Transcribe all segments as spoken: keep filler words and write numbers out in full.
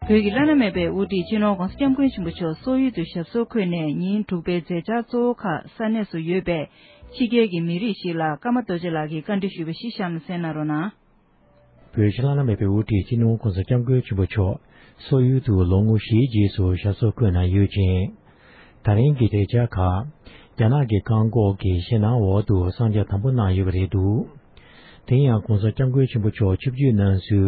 བོད་ཀྱི་བླ་ན་མེད་པའི་དབུ་ཁྲིད་སྤྱི་ནོར་༧གོང་ས་༧སྐྱབས་མགོན་ཆེན་པོ་མཆོག་སོག་ཡུལ་དུ་ཞབས་སོར་འཁོད་ནས་ཉིན་དྲུག་པའི་མཛད་འཆར་གཙོ་བོ་ཁག་ས་གནས་སུ་ཡོད་པའི་ཕྱི་རྒྱལ་གྱི་མི་རིགས་ཤིག་ལ་ཀརྨ་རྡོ་རྗེ་ལགས་ཀྱིས་བཀའ་འདྲི་ཞུས་པ་ཞིག་གཤམ་ལ་གསན་གནང་རོགས་གནང་། བོད་ཕྱི་ནང་བླ་ན་མེད་པའི་དབུ་ཁྲིད་སྤྱི་ནོར་༧གོང་ས་༧སྐྱབས་མགོན་ཆེན་པོ་མཆོག་སོག་ཡུལ་དུ་ལོ་ངོ་བཞིའི་རྗེས་སུ་ཞབས་སོར་འཁོད་གནང་ཡོད་ཅིང་། ད་རིང་གི་མཛད་འཆར་ཁག་རྒྱ་ནག་གི་བཀག་འགོག་གི་ཞེད་སྣང་འོག་ཏུ་གསང་རྒྱ་དམ་པོ་གནང་ཡོད་པ་རེད་འདུག་དེ་ཡང་༧གོང་ས་༧སྐྱབས་མགོན་ཆེན་པོ་མཆོག་ཆིབས་བསྒྱུར་གནང་སའི་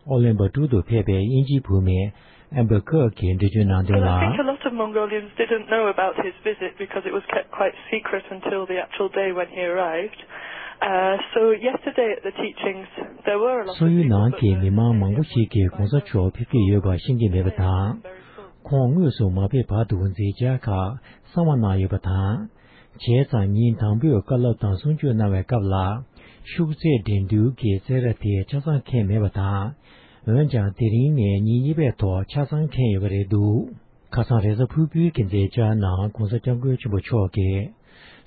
ཨོ་ལན་པ་ཀྲུ་དུ་ཕེབས་པའི་དབྱིན་ཇིའི་བུད་མེད་ཨེམ་བྷར་ཀར་གྱིས་འགྲེལ་བརྗོད་གནང་དོན་Well, I think a ལ། Lot of Mongolians didn't know about his visit because it was kept quite secret until the actual day when he arrived. Uh, so yesterday at the teachings, there were a lot of people, but སོག་ཡུལ་ནང་གི་མི་མང་མང་པོ་ཞིག་གིས་༧གོང་ས་མཆོག་ཕེབས་ཀྱི་ཡོད་པ་ཤེས་ཀྱི་མེད་པ་དང་། ཁོང་དངོས་སུ་མ་ཕེབས་བར་དུ་མཛད་འཆར་ཁག་གསང་བ་གནང་ཡོད་པ་དང་། བྱས་ཙང་ཉིན་དང་པོའི་བཀའ་སློབ་དང་གསུང་ཆོས་གནང་བའི་སྐབས་ལ་ཤུགས་ཚད་འགྲན་བསྡུར་གྱི་རྩེད་ར་དེ་ཆ་ཚང་འཁེལ་མེད་པ་དང་། འོན་ཀྱང་དེ་རིང་ནས་ཉིན་གཉིས་པའི་ཐོག་ཆ་ཚང་འཁེལ་ཡོད་པ་རེད་འདུག་ཁ་སང་རེས་གཟའ་ཕུར་བུའི་གི་མཛད་འཆར་ནང་༧གོང་ས་༧སྐྱབས་མགོན་ཆེན་པོ་མཆོག་གིས་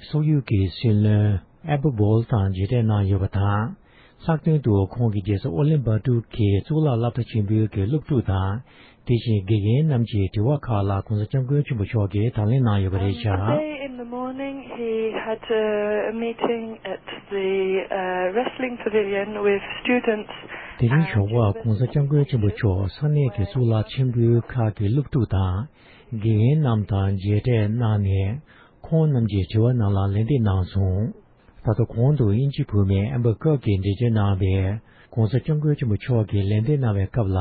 སོག་ཡུལ་གྱི་སྲིད་བློན་ཨེ་བྷ་བྷོལ་དང་མཇལ་འཕྲད་གནང་ཡོད་པ་དང་། ལྷག་དོན་དུ་ཁོང་གིས་རྒྱལ་ས་ཨོ་ལན་པ་ཀྲུ་གི་གཙུག་ལག་སློབ་གྲྭ་ཆེན་པོའི་གི་སློབ་ཕྲུག་དང་། དེ་བཞིན་དགེ་རྒན་རྣམས་ཀྱི་དྲི་བ་ཁག་ལ་༧གོང་ས་༧སྐྱབས་མགོན་ཆེན་པོ་མཆོག་གིས་དང་ལེན་གནང་ཡོད་པ་རེད་ཤག Today in the morning, he had a meeting at the uh, wrestling pavilion with students. དེ་རིང་ཞོགས་པར་༧གོང་ས་༧སྐྱབས་མགོན་ཆེན་པོ་མཆོག་ས་གནས་ཀྱི་གཙུག་ལག་ཆེན་པོའི་ཁག་གི་སློབ་ཕྲུག་དང་དགེ་རྒན་རྣམས་དང་མཇལ་འཕྲད་གནང་ནས། ཁོང་རྣམས་ཀྱི་དྲི་བ་རྣམས་ལ་ལན་འདེབས་གནང་སོང་། ད་ལྟ་གོང་དུ་དབྱིན་ཇིའི་བུད་མེད་ཨེམ་བྷར་ཀར་གྱིས་འགྲེལ་བརྗོད་གནང་བའི་༧གོང་ས་༧སྐྱབས་མགོན་ཆེན་པོ་མཆོག་གིས་ལན་འདེབས་གནང་བའི་སྐབས་ལ།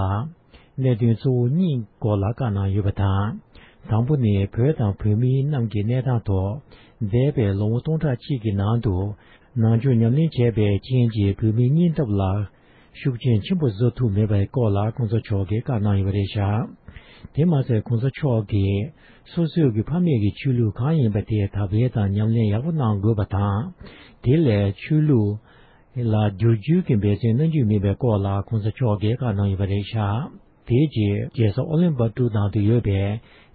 གནད་དོན་གཙོ་བོ་གཉིས་སྐོར་ལ་བཀའ་གནང་ཡོད་པ་དང་། དང་པོ་ནི་བོད་དང་བོད་མི་རྣམས་ཀྱི་གནས་སྟངས་ཐོག་འདས་པའི་ལོ་ངོ་སྟོང་ཕྲག་གཅིག་གི་ནང་དུ་ནང་ཆོས་ཉམས་ལེན་བྱས་པའི་རྐྱེན་གྱིས་བོད་མིའི་སྙིང་སྟོབས་ལ་ཤུགས་རྐྱེན་ཆེན་པོ་བཟོ་ཐུབ་མེད་པའི་སྐོར་ལ་༧གོང་ས་མཆོག་གིས་བཀའ་གནང་ཡོད་པ་རེད་ཤག་དེ་མ་ཟད་༧གོང་ས་མཆོག་གིས་སོ་སོའི་གི་ཕ་མེས་ཀྱི་ཆོས་ལུགས་གང་ཡིན་པ་དེ་དར་སྤེལ་དང་ཉམས་ལེན་ཡག་པོ་གནང་དགོས་པ་དང་། དེ་ལས་ཆོས་ལུགས་ལ་བསྒྱུར་བཅོས་ཀྱི་འབད་བརྩོན་གནང་རྒྱུ་མིན་པའི་སྐོར་ལ་༧གོང་ས་མཆོག་གིས་བཀའ་གནང་ཡོད་པ་རེད་ཤག་དེའི་རྗེས་རྒྱལ་ས་ཨོ་ལན་པ་ཀྲུ་ནང་དུ་ཡོད་པའི་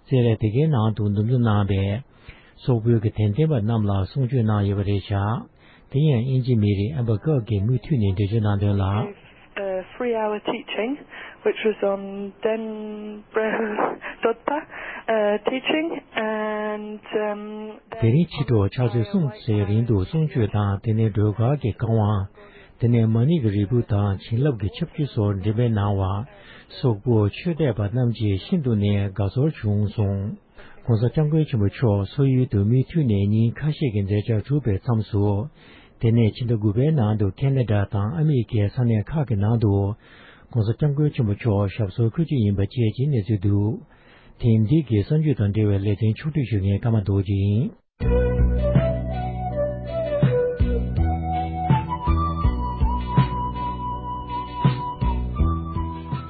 རྩེད་རའི་དེ་གའི་ནང་དུ་འདུ་འཛོམས་གནང་བའི་སོག་པོའི་གི་དད་ལྡན་པ་རྣམས་ལ་གསུང་ཆོས་གནང་ཡོད་པ་རེད་ཤག་དེ་ཡང་དབྱིན་ཇི་མི་རིགས་ཨམ་བྷ་ཀར་གྱིས་མུ་མཐུད་ནས་འགྲེལ་བརྗོད་གནང་དོན་ལ། A three-hour teaching, which was on Denbro Dodpa uh, teaching, and um, དེ་རིང་ཕྱི་དྲོ་ཕྱག་ཚོད་གསུམ་ཙམ་རིང་དུ་གསུང་ཆོས་དང་། དེ་ནས་སྒྲོལ་དཀར་གྱི་བཀའ་དབང་། དེ་ནས་མ་ཎི་གི་རིལ་བུ་དང་བྱིན་རླབས་ཀྱི་ཆབ་ཆུ་སོགས་འགྲེམས་སྤེལ་གནང་བར། སོག་པོ་ཆོས་དད་པ་རྣམས་ཀྱིས་ཤིན་ཏུ་ནས་དགའ་ཚོར་བྱུང་གསུངས། ༸གོང་ས་༸སྐྱབས་མགོན་ཆེན་པོ་མཆོག་སོག་ཡུལ་དུ་མུ་མཐུད་ནས་ཉིན་ཁ་ཤས་ཀྱི་མཛད་འཆར་གྲུབ་པའི་མཚམས་སུ། དེ་ནས་ཕྱི་ཟླ་དགུ་པའི་ནང་དུ་ཁེ་ན་ཌ་དང་ཨ་མི་རི་ཀའི་ས་གནས་ཁག་གི་ནང་དུ། ༸གོང་ས་༸སྐྱབས་མགོན་ཆེན་པོ་མཆོག་ཞབས་སོར་འཁོད་རྒྱུ་ཡིན་པ་བཅས་ཀྱི་གནས་ཚུལ་འདུག་ཐེངས་འདི་གི་གསར་འགྱུར་དང་འབྲེལ་བའི་ལེ་ཚན་ཕྱོགས་བསྒྲིགས་ཞུ་མཁན་ཀརྨ་རྡོ་རྗེ་ཡིན།